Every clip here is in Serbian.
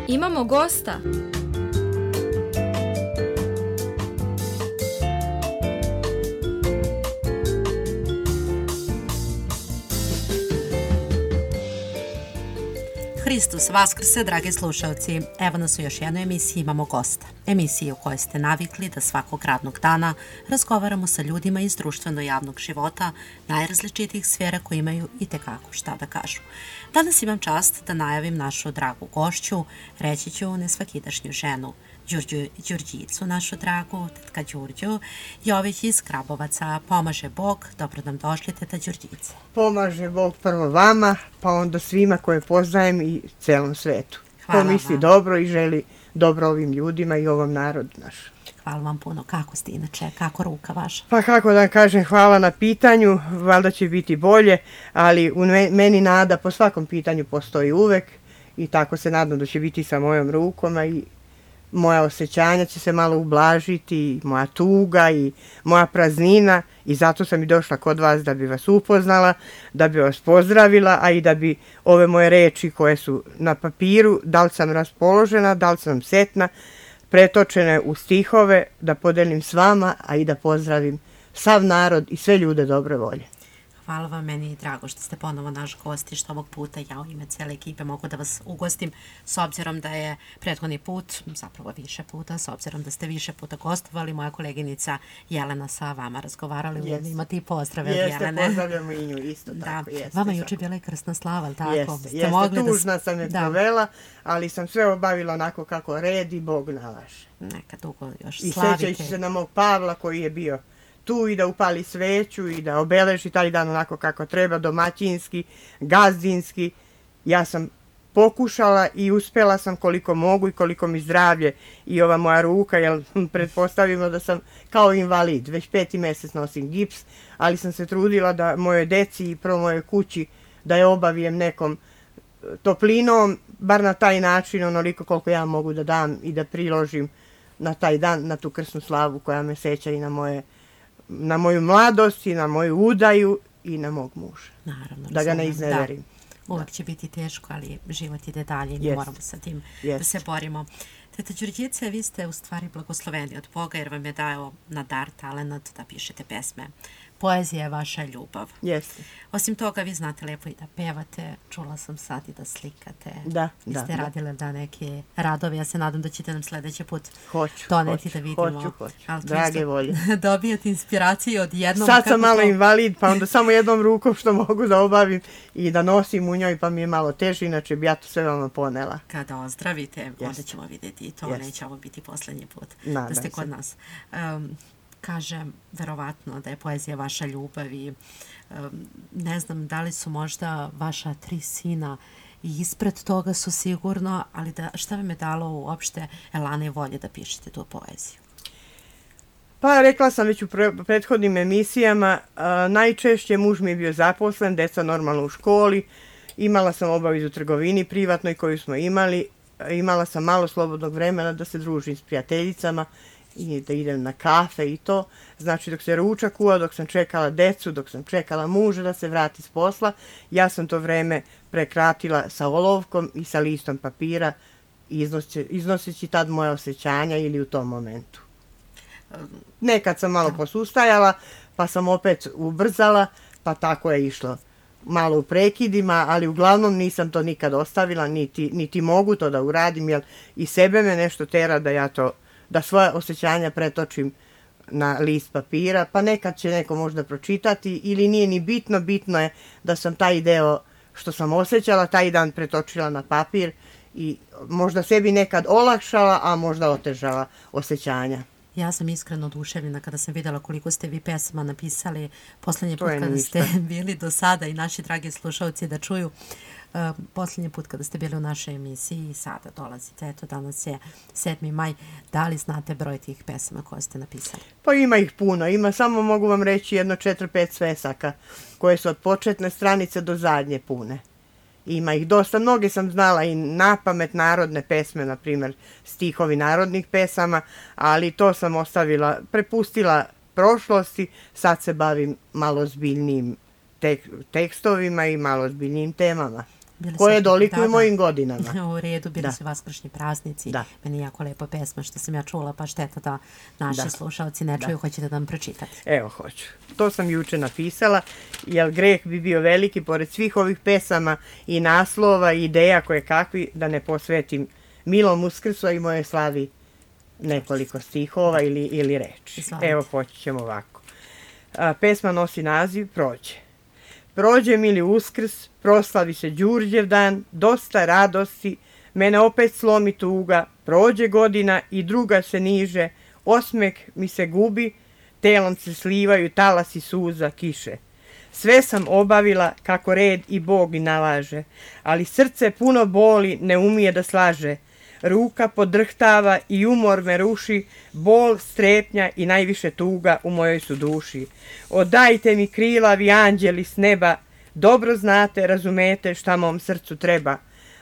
Imamo gosta. Hristos vaskrse, dragi slušalci. Evo nas u još jednoj emisiji Imamo gosta. Emisiji u kojoj ste navikli da svakog radnog dana razgovaramo sa ljudima iz društveno-javnog života najrazličitijih sfera koji imaju i tekako šta da kažu. Danas imam čast da najavim našu dragu gošću, reći ću nesvakidašnju ženu, Đurđicu našu dragu, tetka Đurđu, Jović iz Krabovaca. Pomaže Bog, dobro nam došli, teta Đurđice. Pomaže Bog prvo vama, pa onda svima koje poznajem i celom svetu. Ko misli dobro i želi dobro ovim ljudima i ovom narodu našem. Hvala vam puno. Kako ste inače? Kako ruka vaša? Pa kako da kažem, hvala na pitanju, valjda će biti bolje, ali u meni nada po svakom pitanju postoji uvek i tako se nadam da će biti sa mojom rukom, a i moja osjećanja će se malo ublažiti, i moja tuga i moja praznina, i zato sam i došla kod vas da bi vas upoznala, da bi vas pozdravila, a i da bi ove moje reči koje su na papiru, da li sam raspoložena, da li sam setna, pretočene u stihove, da podelim s vama, a i da pozdravim sav narod i sve ljude dobre volje. Hvala vam, meni je drago što ste ponovo naš gost i što ovog puta ja u ime cijele ekipe mogu da vas ugostim, s obzirom da je prethodni put, zapravo više puta, s obzirom da ste više puta gostovali, moja koleginica Jelena sa vama razgovarali, imate i pozdrave od Jelene. Jeste, pozdravljamo i nju isto tako. Da, vama juče bila i krstna slava, ali tako? Jeste, tužna sam je provela, ali sam sve obavila onako kako red i Bog nalaže. Neka dugo još slavite. I sjećajući se na mog Pavla koji je bio tu i da upali sveću i da obeleži taj dan onako kako treba, domaćinski, gazdinski. Ja sam pokušala i uspjela sam koliko mogu i koliko mi zdravlje i ova moja ruka, jer pretpostavimo da sam kao invalid, već 5. mjesec nosim gips, ali sam se trudila da moje deci i prvo moje kući da je obavijem nekom toplinom, bar na taj način, onoliko koliko ja mogu da dam i da priložim na taj dan, na tu krsnu slavu koja me seća i na moju mladost i na moju udaju i na mog muža. Naravno. Da ga ne izneverim. Uvijek će biti teško, ali život ide dalje i mi moramo sa tim da se borimo. Teta Đurđice, vi ste u stvari blagosloveni od Boga jer vam je dao na dar talenat da pišete pesme. Poezija je vaša ljubav. Jeste. Osim toga, vi znate lepo i da pevate, čula sam sad i da slikate. Da. Vi ste radili da neke radove, ja se nadam da ćete nam sljedeći put doneti da vidimo. Hoću. Drage volje. Dobijate inspiraciju od jednom. Sad sam malo invalid, pa onda samo jednom rukom što mogu da obavim i da nosim u njoj, pa mi je malo teže, inače bi ja to sve vama ponela. Kada ozdravite, onda ćemo vidjeti i to, neće ovo biti posljednji put da ste kod nas. Kažem, verovatno da je poezija vaša ljubav i ne znam da li su možda vaša 3 sina i ispred toga su sigurno, ali šta vam je dalo uopšte elane i volje da pišete tu poeziju? Pa rekla sam već u prethodnim emisijama, najčešće muž mi je bio zaposlen, deca normalno u školi, imala sam obavezu u trgovini privatnoj koju smo imali, imala sam malo slobodnog vremena da se družim s prijateljicama i da idem na kafe i to. Znači dok se ručak kuvao, dok sam čekala decu, dok sam čekala muža da se vrati s posla, ja sam to vreme prekratila sa olovkom i sa listom papira, iznoseći tad moje osjećanja ili u tom momentu. Nekad sam malo posustajala, pa sam opet ubrzala, pa tako je išlo. Malo u prekidima, ali uglavnom nisam to nikad ostavila, niti mogu to da uradim, jer i sebe me nešto tera da svoje osjećanja pretočim na list papira, pa nekad će neko možda pročitati ili nije ni bitno, bitno je da sam taj deo što sam osjećala taj dan pretočila na papir i možda sebi nekad olakšala, a možda otežala osjećanja. Ja sam iskreno oduševljena kada sam vidjela koliko ste vi pesama napisali posljednji put kada ste bili do sada i naši dragi slušalci da čuju. Posljednji put kada ste bili u našoj emisiji i sada dolazite, eto danas je 7. maj, da li znate broj tih pesama koje ste napisali? Pa ima ih puno, samo mogu vam reći jedno 4-5 svesaka koje su od početne stranice do zadnje pune. Ima ih dosta, mnoge sam znala i napamet narodne pesme, na primjer stihovi narodnih pesama, ali to sam prepustila prošlosti, sad se bavim malo zbiljnijim tekstovima i malo zbiljnijim temama. koje dolikuju mojim godinama. U redu, bili su vaskršnji praznici. Meni je jako lepa pesma što sam ja čula, pa šteta da naši slušalci ne čuju. Hoćete da nam pročitate? Evo, hoću. To sam juče napisala, jer greh bi bio veliki, pored svih ovih pesama i naslova i ideja koje kakvi, da ne posvetim milom Uskrsu i moje slavi nekoliko stihova ili reči. Evo, počet ćemo ovako. Pesma nosi naziv Prođe. Prođe mili Uskrs, proslavi se Đurđev dan, dosta radosti, mene opet slomi tuga, prođe godina i druga se niže, osmeh mi se gubi, telom se slivaju talasi suza kiše. Sve sam obavila kako red i Bog i nalaže, ali srce puno boli, ne umije da slaže. Ruka podrhtava i umor me ruši, bol, strepnja i najviše tuga u mojoj su duši. Odajte mi krilavi anđeli s neba, dobro znate, razumete šta mom srcu treba.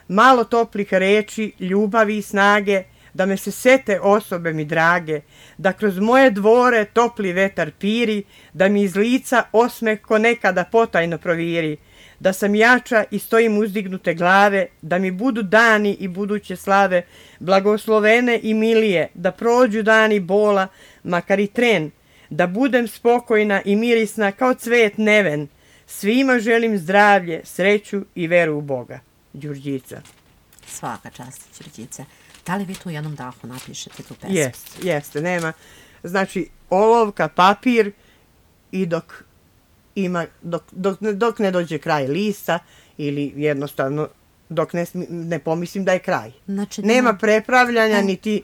Malo toplih reči, ljubavi i snage, da me se sete osobe mi drage, da kroz moje dvore topli vetar piri, da mi iz lica osmeh ko nekada potajno proviri, da sam jača i stojim uzdignute glave, da mi budu dani i buduće slave, blagoslovene i milije, da prođu dani bola, makar i tren, da budem spokojna i mirisna kao cvet neven, svima želim zdravlje, sreću i veru u Boga. Đurđica. Svaka čast, Đurđice. Da li vi tu u jednom dahu napišete tu pesmu? Jeste, nema. Znači, olovka, papir i dok ne dođe kraj lista ili jednostavno dok ne pomislim da je kraj. Znači, nema prepravljanja niti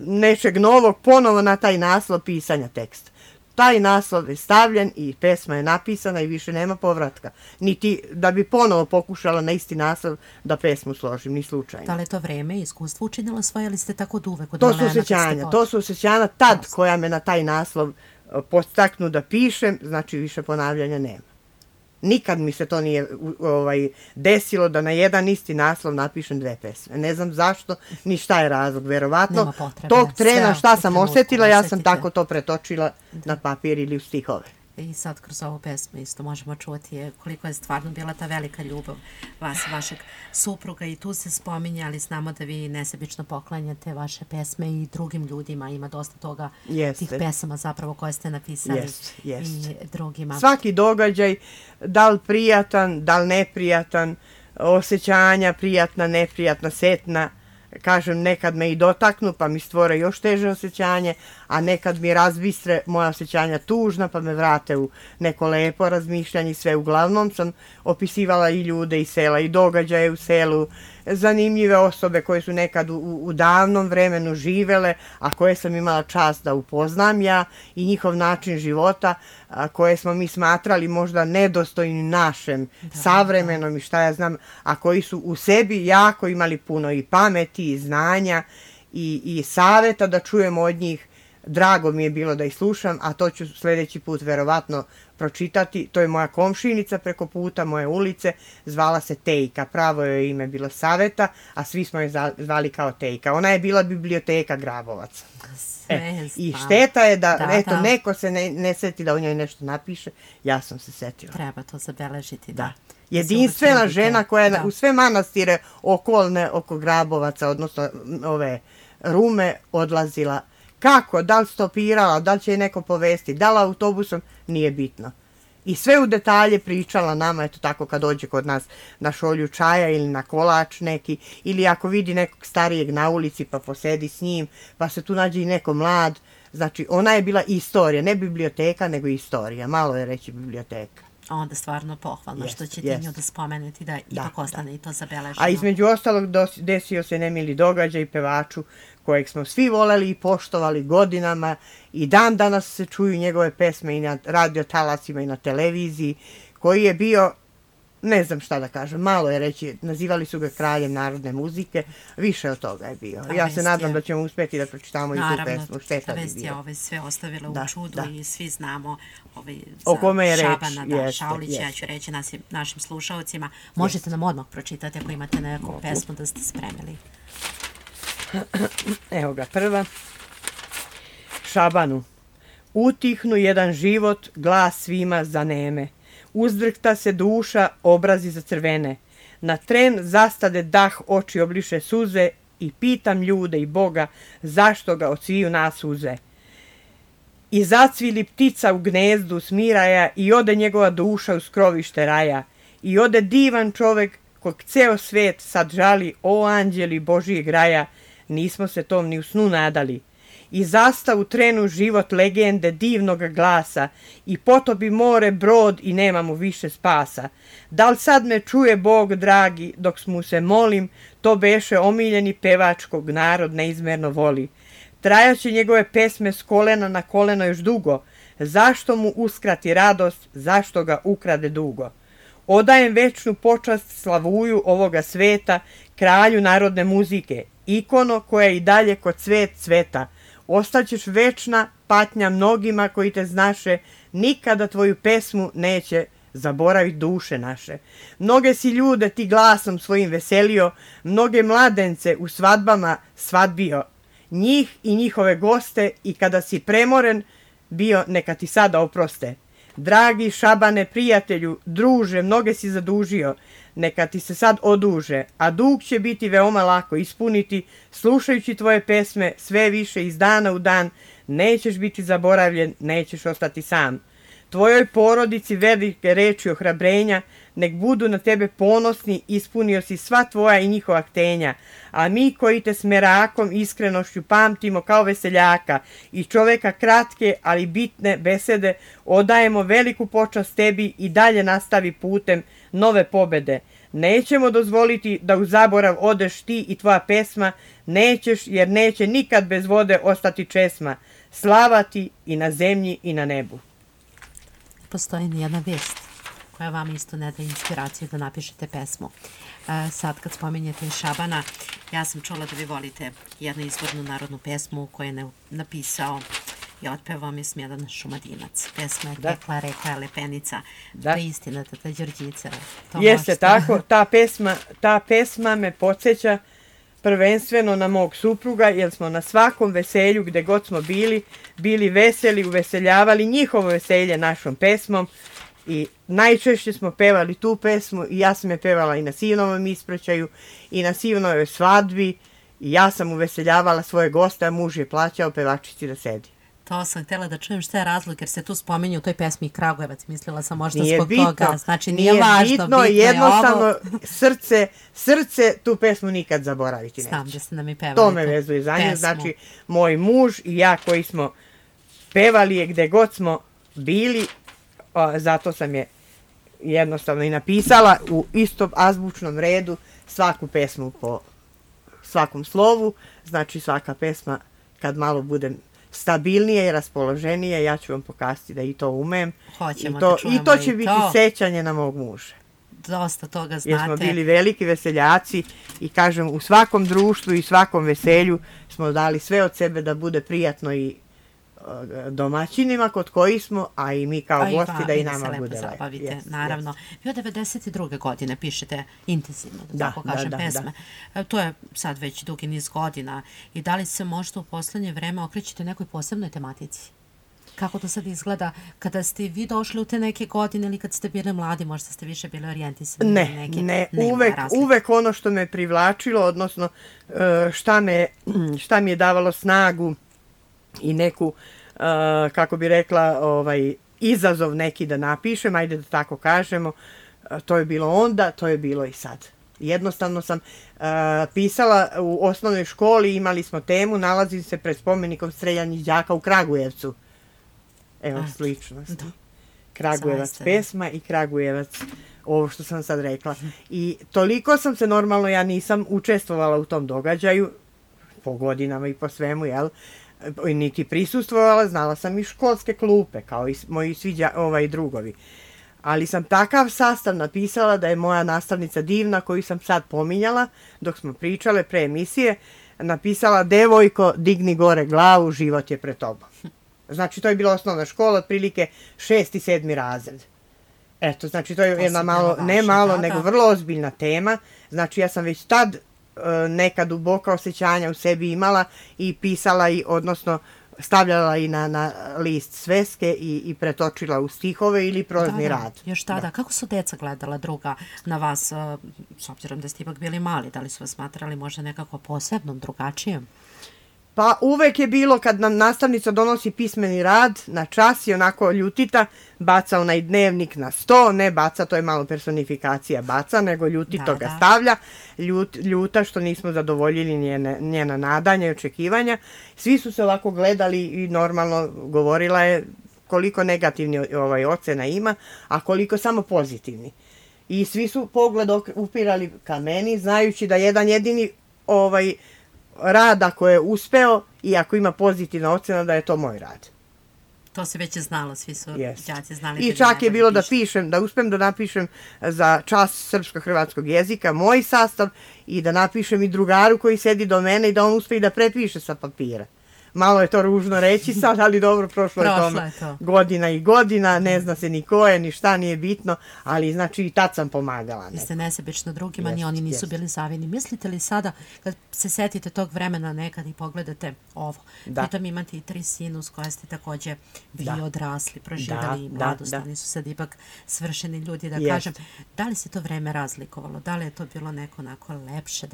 nečeg novog ponovo na taj naslov pisanja teksta. Taj naslov je stavljen i pesma je napisana i više nema povratka. Niti da bi ponovo pokušala na isti naslov da pesmu složim, ni slučajno. Da li je to vreme i iskustvo učinilo svoje ili ste tako od uvek? To su osjećanja tad koja me na taj naslov podstaknu da pišem, znači više ponavljanja nema. Nikad mi se to nije desilo da na jedan isti naslov napišem dve pesme. Ne znam zašto, ni šta je razlog. Verovatno, tog trena šta sam osjetila, ja sam tako to pretočila na papir ili u stihove. I sad kroz ovu pesmu isto možemo čuti koliko je stvarno bila ta velika ljubav vas i vašeg supruga i tu se spominje, ali znamo da vi nesebično poklanjate vaše pesme i drugim ljudima, ima dosta toga, tih pesama zapravo koje ste napisali i drugima. Svaki događaj, da li prijatan, da li neprijatan, osjećanja, prijatna, neprijatna, setna, kažem, nekad me i dotaknu pa mi stvore još teže osjećanje, a nekad mi razbistre moja osjećanja tužna pa me vrate u neko lepo razmišljanje. Sve uglavnom sam opisivala i ljude iz sela i događaje u selu, zanimljive osobe koje su nekad u davnom vremenu živele, a koje sam imala čast da upoznam ja i njihov način života, koje smo mi smatrali možda nedostojnim našem savremenom i šta ja znam, a koji su u sebi jako imali puno i pameti i znanja i saveta da čujemo od njih. Drago mi je bilo da ih slušam, a to ću sljedeći put verovatno pročitati. To je moja komšinica preko puta moje ulice, zvala se Tejka, pravo joj ime bilo Saveta, a svi smo je zvali kao Tejka. Ona je bila biblioteka Grabovaca. I šteta je da neko se ne seti da o njoj nešto napiše, ja sam se setila. Treba to zabeležiti, da. Jedinstvena žena koja je u sve manastire okolne oko Grabovaca, odnosno ove Rume, odlazila. Kako? Da li stopirala? Da li će je neko povesti? Da li autobusom? Nije bitno. I sve u detalje pričala nama, eto tako kad dođe kod nas na šolju čaja ili na kolač neki, ili ako vidi nekog starijeg na ulici pa posedi s njim, pa se tu nađe i neko mlad. Znači, ona je bila istorija, ne biblioteka, nego istorija. Malo je reći biblioteka. Onda stvarno pohvalno što ćete nju da spomenuti, da ipak ostane i to zabeleženo. A između ostalog desio se nemili događaj pevaču kojeg smo svi voleli i poštovali godinama i dan danas se čuju njegove pesme i na radio talasima i na televiziji, koji je bio, ne znam šta da kažem, malo je reći, nazivali su ga kraljem narodne muzike, više od toga je bio. Ja se nadam da ćemo uspjeti da pročitamo i tu pesmu. Šteta bi bio. Naravno, sve ostavila u čudu i svi znamo o kome je reč. Šabana Šaulića, ja ću reći našim slušalcima. Možete nam odmah pročitati ako imate neku pesmu da ste spremili. Evo ga, prva. Šabanu. Utihnu jedan život, glas svima zaneme. Uzdrhta se duša, obrazi zacrvene. Na tren zastade dah, oči obliše suze i pitam ljude i Boga zašto ga od sviju nas uze. I zacvili ptica u gnezdu smiraja i ode njegova duša u skrovište raja. I ode divan čovek kog ceo svet sad žali, o anđeli Božijeg raja, nismo se tom ni u snu nadali. I zasta u trenu život legende divnog glasa i potopi more brod i nema mu više spasa. Da li sad me čuje Bog dragi dok mu se molim, to beše omiljeni pevač kog narod neizmerno voli. Trajaće njegove pesme s kolena na koleno još dugo, zašto mu uskrati radost, zašto ga ukrade dugo. Odajem večnu počast slavuju ovoga sveta, kralju narodne muzike, ikono koja i dalje kod cvet cveta. Ostaćeš večna patnja mnogima koji te znaše, nikada tvoju pesmu neće zaboraviti duše naše. Mnoge si ljude ti glasom svojim veselio, mnoge mladence u svadbama svadbio. Njih i njihove goste i kada si premoren bio, neka ti sada oproste. Dragi Šabane, prijatelju, druže, mnoge si zadužio, neka ti se sad oduže, a dug će biti veoma lako ispuniti, slušajući tvoje pesme sve više iz dana u dan, nećeš biti zaboravljen, nećeš ostati sam. Tvojoj porodici velike reči ohrabrenja, nek budu na tebe ponosni, ispunio si sva tvoja i njihova htenja, a mi koji te s merakom iskrenošću pamtimo kao veseljaka i čoveka kratke, ali bitne besede, odajemo veliku počast tebi i dalje nastavi putem nove pobede. Nećemo dozvoliti da u zaborav odeš ti i tvoja pesma, nećeš jer neće nikad bez vode ostati česma. Slava ti i na zemlji i na nebu. Postoji jedna vijest koja vam isto ne da inspiraciju da napišete pesmu. Sad kad spominjete Šabana, ja sam čula da vi volite jednu izvornu narodnu pesmu koju je napisao i otpevao mi Smjedan Šumadinac. Pesma je Tekla reka Lepenica. Da. To je istina, ta Đurđica. Jeste tako, ta pesma me podsjeća prvenstveno na mog supruga, jer smo na svakom veselju gde god smo bili veseli, uveseljavali njihovo veselje našom pesmom i najčešće smo pevali tu pesmu i ja sam je pevala i na sinovom ispraćaju i na sinovoj svadbi i ja sam uveseljavala svoje goste, a muž je plaćao pevačici da sedi. To sam htjela da čujem šta je razlog, jer se tu spominju u toj pesmi Kragujevac. Mislila sam možda nije zbog bitno, toga. Znači nije važno, bitno je jednostavno ovo. Srce tu pesmu nikad zaboraviti neće. Znam da ste nam i pevali to me vezuje za nju. Znači, moj muž i ja koji smo pevali je gde god smo bili, zato sam je jednostavno i napisala u istom azbučnom redu svaku pesmu po svakom slovu. Znači svaka pesma kad malo budem stabilnije i raspoloženije, ja ću vam pokazati da i to umem. Hoćemo da čujemo i to će biti sećanje na mog muža. Dosta toga znate. Jer smo bili veliki veseljaci i kažem u svakom društvu i svakom veselju smo dali sve od sebe da bude prijatno i domaćinima kod koji smo, a i mi kao gosti da i nama bude lepo. Naravno. Vi od 92. godine pišete intenzivno, da tako kažem, pesme. To je sad već dugi niz godina. I da li se možda u poslednje vreme okrećete nekoj posebnoj tematici? Kako to sad izgleda kada ste vi došli u te neke godine ili kad ste bili mladi, možda ste više bili orijentisani? Ne, uvek ono što me privlačilo, odnosno šta mi je davalo snagu i neku, kako bi rekla, izazov neki da napišem, ajde da tako kažemo, to je bilo onda, to je bilo i sad. Jednostavno sam pisala u osnovnoj školi, imali smo temu, nalazim se pred spomenikom streljanih đaka u Kragujevcu. Evo, sličnost. Kragujevac pesma i Kragujevac, ovo što sam sad rekla. I toliko sam se, normalno, ja nisam učestvovala u tom događaju, po godinama i po svemu, jel? Niti prisustvovala, znala sam i školske klupe, kao i moji svi drugovi. Ali sam takav sastav napisala da je moja nastavnica divna, koju sam sad pominjala, dok smo pričale pre emisije, napisala: devojko, digni gore glavu, život je pred tobom. Znači, to je bila osnovna škola, otprilike 6. i 7. razred. Eto, znači, to je jedna malo, ne malo, nego vrlo ozbiljna tema. Znači, ja sam već tad neka duboka osjećanja u sebi imala i pisala, i odnosno stavljala i na list sveske i pretočila u stihove ili prozni rad. Još tada. Kako su deca gledala druga na vas, s obzirom da ste ipak bili mali? Da li su vas smatrali možda nekako posebnom, drugačijem? Pa uvek je bilo kad nam nastavnica donosi pismeni rad na čas i onako ljutita, baca onaj dnevnik na sto, ne baca, to je malo personifikacija baca, nego ljutito ga stavlja, ljuta što nismo zadovoljili njena nadanja i očekivanja. Svi su se ovako gledali i normalno govorila je koliko negativni ocena ima, a koliko samo pozitivni. I svi su pogled upirali ka meni, znajući da jedan jedini rad ako je uspeo i ako ima pozitivna ocena da je to moj rad. To se već je znalo, svi su đaci znali. I čak je bilo da uspem da napišem za čas srpsko-hrvatskog jezika moj sastav i da napišem i drugaru koji sedi do mene i da on uspe i da prepiše sa papira. Malo je to ružno reći sad, ali dobro, prošlo je to godina i godina, ne zna se ni ko je, ni šta, nije bitno, ali znači i tad sam pomagala. Vi ste nesebično drugima, ni oni nisu bili zavini. Mislite li sada, kad se setite tog vremena nekad i pogledate ovo, pritom imate i 3 sina s koje ste takođe vi odrasli, proživjeli i mladost, oni su sad ipak svršeni ljudi, da kažem. Da li se to vreme razlikovalo? Da li je to bilo neko onako lepše?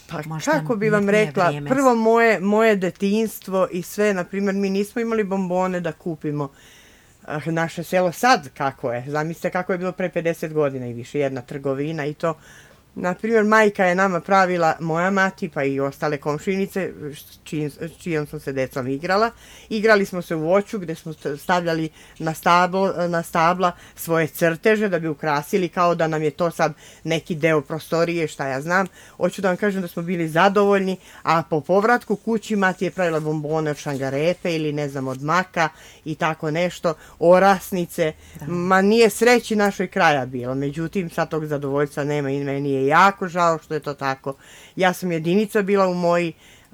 Pa kako bi vam rekla, prvo moje detinjstvo i sve, na primjer, mi nismo imali bombone da kupimo. Naše selo sad kako je, zamislite kako je bilo pre 50 godina i više, jedna trgovina i to. Na primjer, majka je nama pravila, moja mati pa i ostale komšinice, čijom sam se decom igrala. Igrali smo se u voću gde smo stavljali na stabla svoje crteže da bi ukrasili, kao da nam je to sad neki deo prostorije, šta ja znam. Hoću da vam kažem da smo bili zadovoljni, a po povratku kući mati je pravila bombone od šangarepe ili ne znam od maka i tako nešto, orasnice. Ma nije sreći našoj kraja bilo, međutim sad tog zadovoljstva nema i meni je jako žao što je to tako. Ja sam jedinica bila u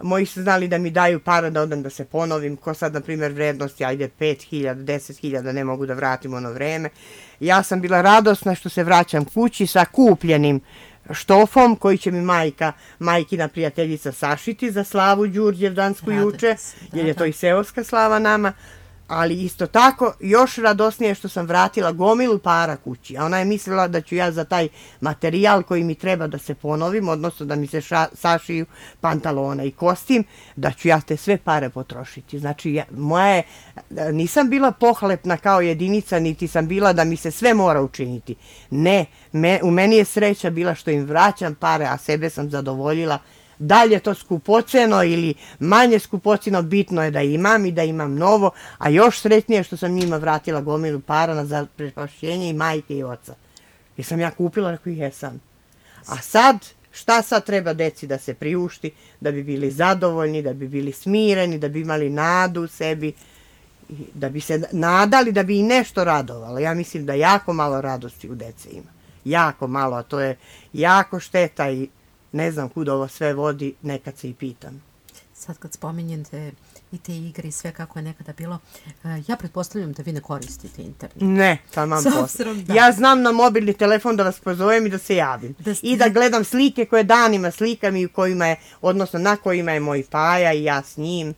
moji su znali da mi daju para da odem da se ponovim, ko sad, na primjer, vrednosti, ajde 5.000, 10.000, ne mogu da vratim ono vreme. Ja sam bila radosna što se vraćam kući sa kupljenim štofom koji će mi majkina prijateljica sašiti za slavu Đurđevdansku juče, jer je to i seoska slava nama. Ali isto tako, još radosnije što sam vratila gomilu para kući. A ona je mislila da ću ja za taj materijal koji mi treba da se ponovim, odnosno da mi se sašiju pantalona i kostim, da ću ja te sve pare potrošiti. Znači, nisam bila pohlepna kao jedinica, niti sam bila da mi se sve mora učiniti. Ne, u meni je sreća bila što im vraćam pare, a sebe sam zadovoljila. Da li je to skupoceno ili manje skupoceno, bitno je da imam i da imam novo, a još sretnije što sam njima vratila gomilu para za prepašćenje i majke i oca. Jer sam ja kupila, rekao ih jesam. A sad, šta sad treba deci da se priušti, da bi bili zadovoljni, da bi bili smireni, da bi imali nadu u sebi, da bi se nadali, da bi i nešto radovalo. Ja mislim da jako malo radosti u dece ima. Jako malo, a to je jako šteta i ne znam kud ovo sve vodi, nekad se i pitam. Sad kad spominjete i te igre i sve kako je nekada bilo, ja pretpostavljam da vi ne koristite internet. Ne, tamam posle. Ja znam na mobilni telefon da vas pozovem i da se javim. I da gledam slike koje danima slikam i odnosno na kojima je moj Paja i ja s njim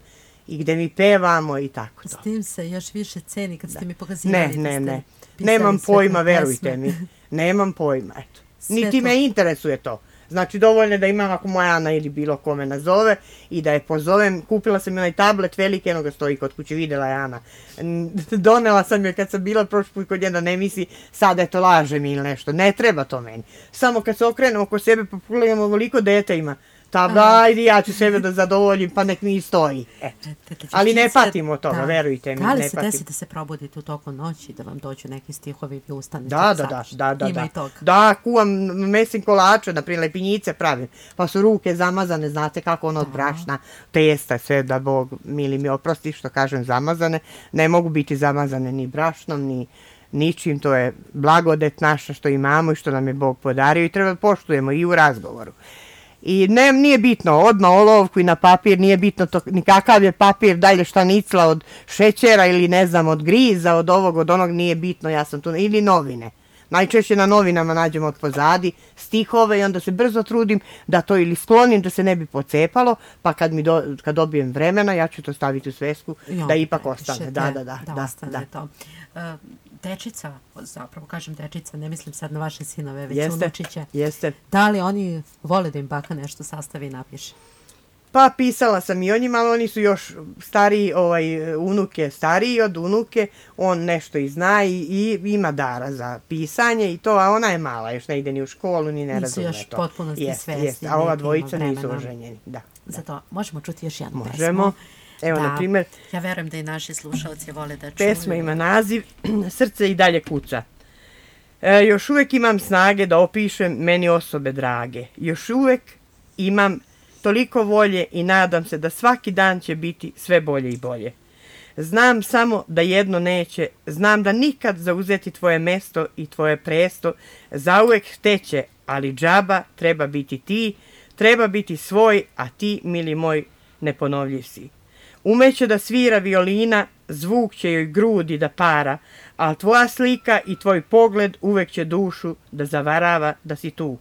i gde mi pevamo i tako. S tim se još više ceni kad ste mi pokazivali. Ne. Nemam pojma, verujte mi. Nemam pojma, eto. Niti me interesuje to. Znači, dovoljno je da imam ako moja Ana ili bilo kome nazove i da je pozovem. Kupila sam onaj tablet veliki, eno ga stoji kod kuće, videla je Ana. Donela sam je kad sam bila prošli put kod jedna, ne misli sad eto laže mi ili nešto. Ne treba to meni. Samo kad se okrenem oko sebe pa pogledam ovoliko dete ima. Ajde, ja ću sebe da zadovoljim, pa nek mi i stoji. Ali ne patim od toga, verujte mi. Da li se desi da se probudite u toku noći, da vam dođu neki stihovi i ustanete? Da. Da, kuvam mesim kolače, naprijed lepinjice pravim, pa su ruke zamazane, znate kako ono od brašna, testa, sve da Bog mili mi oprosti što kažem zamazane. Ne mogu biti zamazane ni brašnom, ni ničim, to je blagodet naša što imamo i što nam je Bog podario i treba da poštujemo i u razgovoru. I nije bitno, od na olovku i na papir, nije bitno to, nikakav je papir, dalje štanicla od šećera ili ne znam, od griza, od ovog, od onog, nije bitno, ja sam tu, ili novine. Najčešće na novinama nađem od pozadi stihove i onda se brzo trudim da to ili sklonim da se ne bi pocepalo, pa kad dobijem vremena ja ću to staviti u svesku da ipak ostane. Da ostane to. Dečica, zapravo kažem dečica, ne mislim sad na vaše sinove, već unučiće. Jeste. Da li oni vole da im baka nešto sastavi i napiše? Pa pisala sam i o njima, ali oni su još stariji, unuk je stariji od unuke, on nešto i zna i ima dara za pisanje i to, a ona je mala, još ne ide ni u školu, ni ne razume to. Nisu još potpunosti svesni. A ova dvojica nisu oženjeni, da. Zato možemo čuti još jednu pesmu. Možemo. Evo, na primjer, ja verujem da i naši slušalci vole da čuju. Pesma ima naziv Srce i dalje kuca. Još uvek imam snage da opišem meni osobe drage. Još uvek imam toliko volje i nadam se da svaki dan će biti sve bolje i bolje. Znam samo da jedno neće, znam da nikad zauzeti tvoje mesto i tvoje presto zauvek teće, ali džaba treba biti ti, treba biti svoj, a ti, mili moj, neponovljiv si. Umeće da svira violina, zvuk će joj grudi da para, a tvoja slika i tvoj pogled uvek će dušu da zavarava da si tu.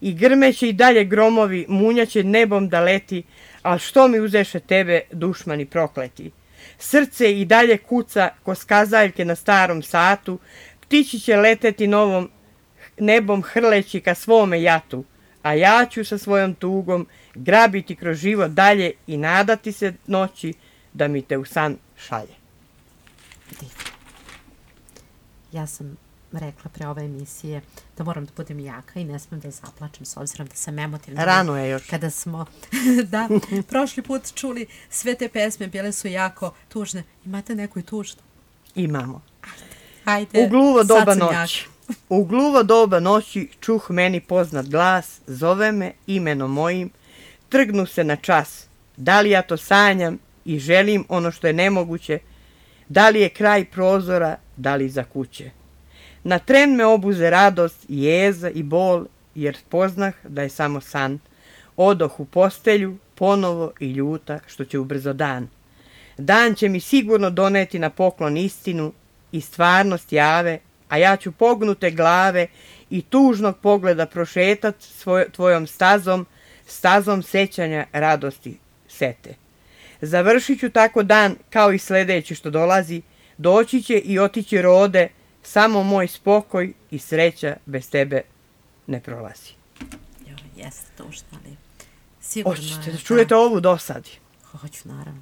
I grmeće i dalje gromovi, munjaće nebom da leti, al što mi uzeše tebe, dušmani prokleti. Srce i dalje kuca ko skazaljke na starom satu, ptići će leteti novom nebom hrleći ka svome jatu, a ja ću sa svojom tugom grabiti kroz život dalje i nadati se noći da mi te u san šalje. Divno. Ja sam rekla pre ove emisije da moram da budem jaka i ne smem da zaplačem s obzirom da sam emotivna. Rano je još. Kada smo prošli put čuli sve te pesme, bile su jako tužne. Imate neku i tužnu? Imamo. Ajde, U gluvo doba noći čuh meni poznat glas, zove me imenom mojim, trgnu se na čas. Da li ja to sanjam i želim ono što je nemoguće, da li je kraj prozora, da li za kuće. Na tren me obuze radost, jeza i bol, jer poznah da je samo san. Odoh u postelju, ponovo i ljuta, što će ubrzo dan. Dan će mi sigurno doneti na poklon istinu i stvarnost jave, a ja ću pognute glave i tužnog pogleda prošetat tvojom stazom sećanja radosti sete. Završit ću tako dan kao i sledeći što dolazi, doći će i otići rode, samo moj spokoj i sreća bez tebe ne prolazi. Jeste tužno, ali sigurno je. Hoćete da čujete ovu dosadi? Hoću, naravno.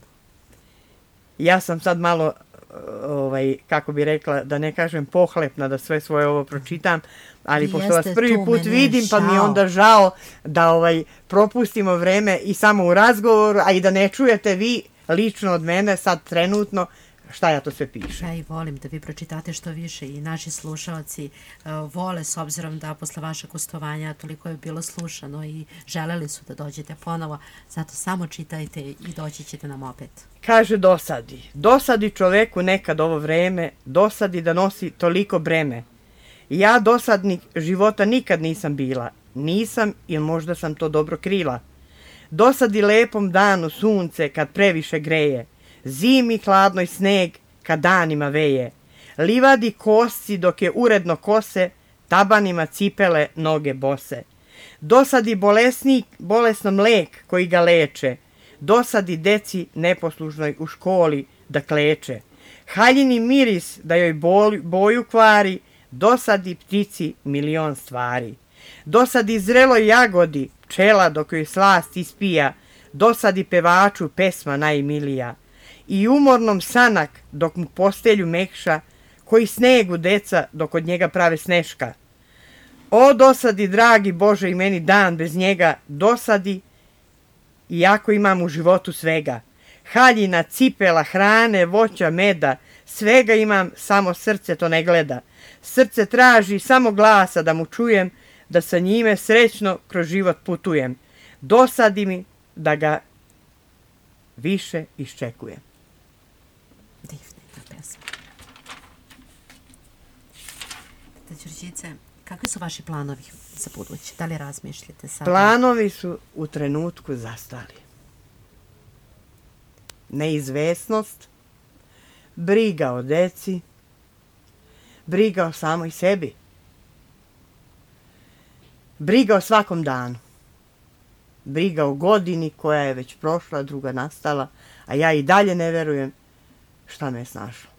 Ja sam sad malo, kako bi rekla, da ne kažem pohlepna da sve svoje ovo pročitam, ali pošto vas prvi put vidim, pa mi je onda žao da propustimo vreme i samo u razgovoru, a i da ne čujete vi lično od mene sad trenutno šta ja to sve pišem. Ja i volim da vi pročitate što više i naši slušalci vole, s obzirom da posle vašeg gostovanja toliko je bilo slušano i želeli su da dođete ponovo, zato samo čitajte i doći ćete nam opet. Kaže dosadi čoveku nekad ovo vreme, dosadi da nosi toliko breme. Ja dosadnik života nikad nisam bila, nisam ili možda sam to dobro krila. Dosadi lepom danu sunce kad previše greje, zimi hladnoj sneg kad danima veje, livadi kosci dok je uredno kose, tabanima cipele noge bose. Dosadi bolesnom lek koji ga leče, dosadi deci neposlušnoj u školi da kleče. Haljini miris da joj boju kvari, dosadi ptici milion stvari. Dosadi zreloj jagodi pčela dok joj slast ispija, dosadi pevaču pesma najmilija. I umornom sanak dok mu postelju mekša, koji snegu deca dok od njega prave sneška. O dosadi, dragi Bože, i meni dan bez njega, dosadi, iako imam u životu svega. Haljina, cipela, hrane, voća, meda, svega imam, samo srce to ne gleda. Srce traži samo glasa da mu čujem, da sa njime srećno kroz život putujem. Dosadi mi da ga više iščekujem. Divna pesma. Đurđice, kakvi su vaši planovi za buduće? Da li razmišljate sada? Planovi su u trenutku zastali. Neizvesnost, briga o deci, briga o samoj sebi. briga o svakom danu. Briga o godini koja je već prošla, druga nastala, a ja i dalje ne verujem šta me je snašlo.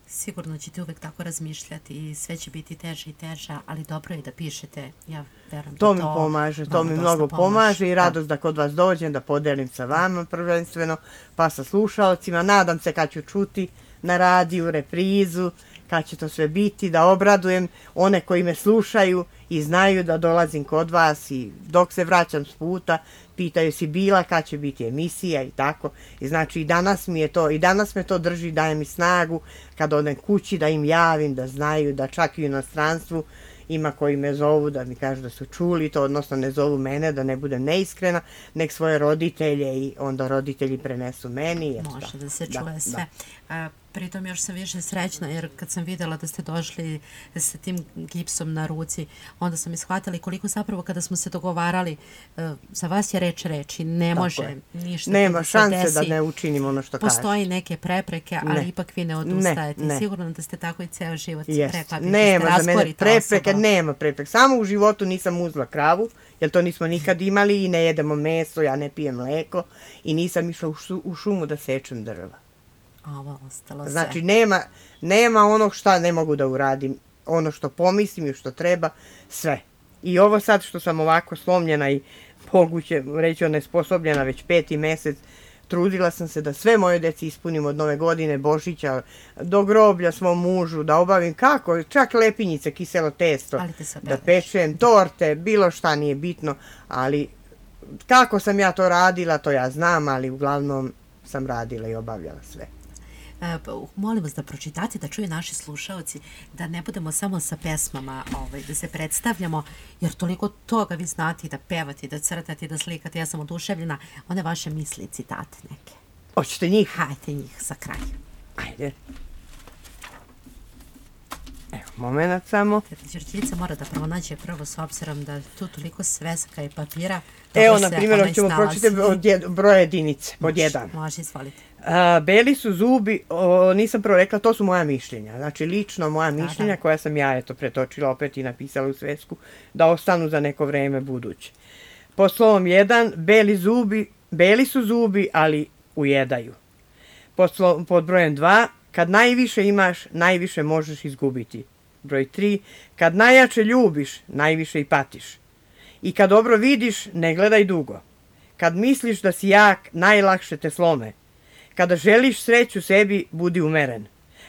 Sigurno ćete uvek tako razmišljati i sve će biti teže i teže, ali dobro je da pišete. Ja verujem to mi pomaže, to mi mnogo pomaže i radost da kod vas dođem, da podelim sa vama prvenstveno, pa sa slušalcima. Nadam se kad ću čuti na radiju, reprizu, kad će to sve biti, da obradujem one koji me slušaju i znaju da dolazim kod vas i dok se vraćam s puta, pitaju si bila kad će biti emisija i tako. I znači i danas me to drži, daje mi snagu kad odem kući da im javim, da znaju da čak i u inostranstvu ima koji me zovu da mi kažu da su čuli to, odnosno ne zovu mene, da ne budem neiskrena, nek svoje roditelje i onda roditelji prenesu meni. Može da se čuje sve. Pritom još sam više srećna jer kad sam vidjela da ste došli sa tim gipsom na ruci, onda sam ishvatila koliko zapravo kada smo se dogovarali, za vas je reč i ne može ništa. Nema šanse da ne učinimo ono što kažeš. Postoji neke prepreke, ali ipak vi ne odustajete. Sigurno da ste tako i ceo život preklapili. Nema za mene prepreke, nema prepreke. Samo u životu nisam uzela kravu, jer to nismo nikad imali i ne jedemo meso, ja ne pijem mleko i nisam išla u šumu da sečem drva. Ovo ostalo sve. Znači, nema onog šta ne mogu da uradim. Ono što pomislim i što treba, sve. I ovo sad što sam ovako slomljena i moguće reći onesposobljena već 5. mesec, trudila sam se da sve moje deci ispunim od Nove godine, Božića, do groblja svom mužu, da obavim kako, čak lepinjice, kiselo testo, da pečem, torte, bilo šta nije bitno, ali kako sam ja to radila, to ja znam, ali uglavnom sam radila i obavljala sve. Molim vas da pročitate, da čuju naši slušalci, da ne budemo samo sa pesmama, da se predstavljamo, jer toliko toga vi znate da pevate, da crtate, da slikate, ja sam oduševljena, one vaše misli i citate neke. Hoćete njih? Hajde njih za kraj. Ajde. Evo, moment samo. Teta Đurđica mora da pronađe prvo s obzirom da tu toliko sveska i papira. Evo, na primjer, ćemo pročitati od broja jedinice, pod 1. Može, izvolite. Beli su zubi, nisam prvo rekla, to su moja mišljenja. Znači, lično moja mišljenja koja sam ja pretočila opet i napisala u svesku, da ostanu za neko vreme buduće. Po slovom 1, beli su zubi, ali ujedaju. Pod brojem 2, kad najviše imaš, najviše možeš izgubiti. Broj 3, kad najjače ljubiš, najviše i patiš. I kad dobro vidiš, ne gledaj dugo. Kad misliš da si jak, najlakše te slome. Kada želiš sreću sebi, budi umeren.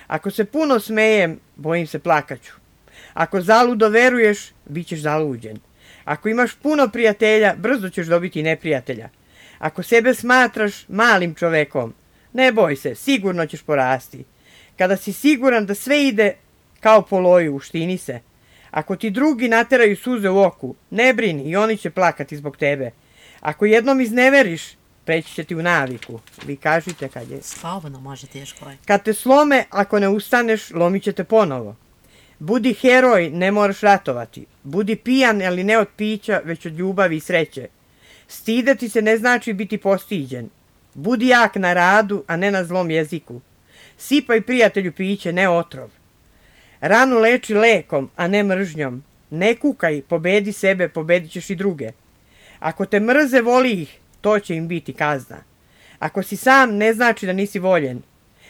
Ako se puno smejem, bojim se plakaću. Ako zaludo veruješ, bit ćeš zaluđen. Ako imaš puno prijatelja, brzo ćeš dobiti neprijatelja. Ako sebe smatraš malim čovekom, ne boj se, sigurno ćeš porasti. Kada si siguran da sve ide kao po loju, uštini se. Ako ti drugi nateraju suze u oku, ne brini i oni će plakati zbog tebe. Ako izneveriš, preći će ti u naviku. Vi kažite kad je... Slobodno možete još koji. Kad te slome, ako ne ustaneš, lomit će te ponovo. Budi heroj, ne moraš ratovati. Budi pijan, ali ne od pića, već od ljubavi i sreće. Stideti se ne znači biti postiđen. Budi jak na radu, a ne na zlom jeziku. Sipaj prijatelju piće, ne otrov. Ranu leči lekom, a ne mržnjom. Ne kukaj, pobedi sebe, pobedit ćeš i druge. Ako te mrze, voli ih, to će im biti kazna. Ako si sam, ne znači da nisi voljen.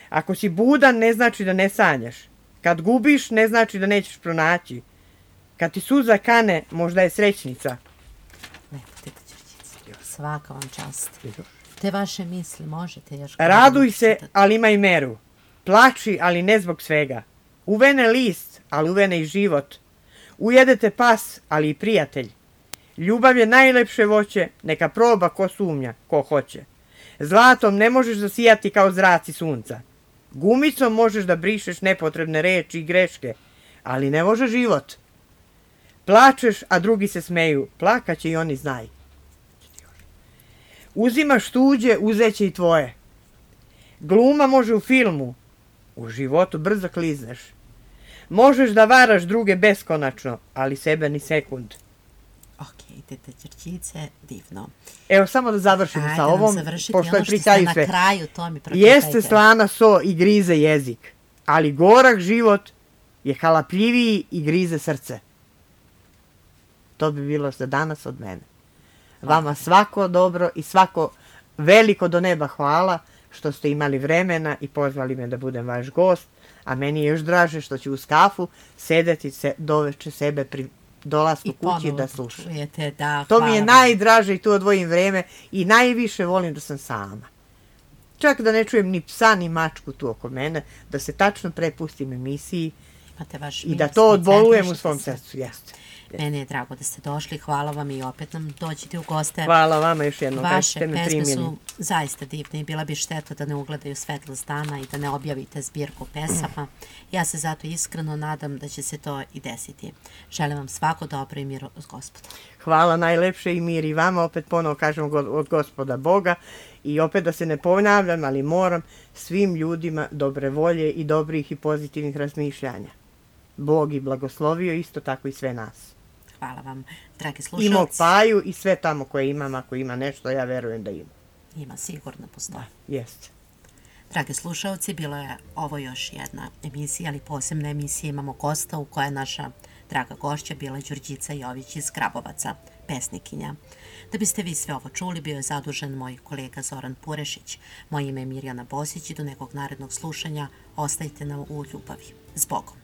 Ako si budan, ne znači da ne sanjaš. Kad gubiš, ne znači da nećeš pronaći. Kad ti suza kane, možda je srećnica. Lepo, teta Đurđica. Svaka vam čast. Te vaše misli možete još... Raduj se, ali imaj meru. Plači, ali ne zbog svega. Uvene list, ali uvene i život. Ujedete pas, ali i prijatelj. Ljubav je najlepše voće, neka proba ko sumnja, ko hoće. Zlatom ne možeš zasijati kao zraci sunca. Gumicom možeš da brišeš nepotrebne reči i greške, ali ne može život. Plačeš, a drugi se smeju, plakaće i oni znaj. Uzimaš tuđe, uzeće i tvoje. Gluma može u filmu, u životu brzo klizneš. Možeš da varaš druge beskonačno, ali sebe ni sekund. Ok, teta Đurđice, divno. Evo, samo da završimo sa ovom, pošto je pri kraju sve. Jeste slana so i grize jezik, ali gorak život je halapljiviji i grize srce. to bi bilo za danas od mene. Vama svako dobro i svako veliko do neba hvala što ste imali vremena i pozvali me da budem vaš gost, a meni je još draže što ću uz kafu sedeti doveče sebe pri dolasku kući da slušam. To mi je najdraže i tu odvojim vreme i najviše volim da sam sama. Čak da ne čujem ni psa ni mačku tu oko mene, da se tačno prepustim emisiji i da to odbolujem u svom srcu. Jeste. Mene je drago da ste došli, hvala vam i opet nam dođete u goste. Hvala vama još jednom. Vaše pesme su zaista divne i bila bi šteta da ne ugledaju svetlost dana i da ne objavite zbirku pesama. Ja se zato iskreno nadam da će se to i desiti. Želim vam svako dobro i mir od Gospoda. Hvala najlepše i mir i vama, opet ponovo kažem od Gospoda Boga i opet da se ne ponavljam, ali moram svim ljudima dobre volje i dobrih i pozitivnih razmišljanja. Bog i blagoslovio isto tako i sve nas. Hvala vam, dragi slušalci. I mog Paju i sve tamo koje imam, ako ima nešto, ja verujem da ima. Ima, sigurno postoje. Jeste. Dragi slušalci, bilo je ovo još jedna emisija, ali posebna emisija. Imamo gosta u kojoj je naša draga gošća bila Đurđica Jović iz Grabovaca, pesnikinja. Da biste vi sve ovo čuli, bio je zadužen moj kolega Zoran Purešić. Moje ime je Mirjana Bosić i do nekog narednog slušanja ostajte nam u ljubavi. S Bogom.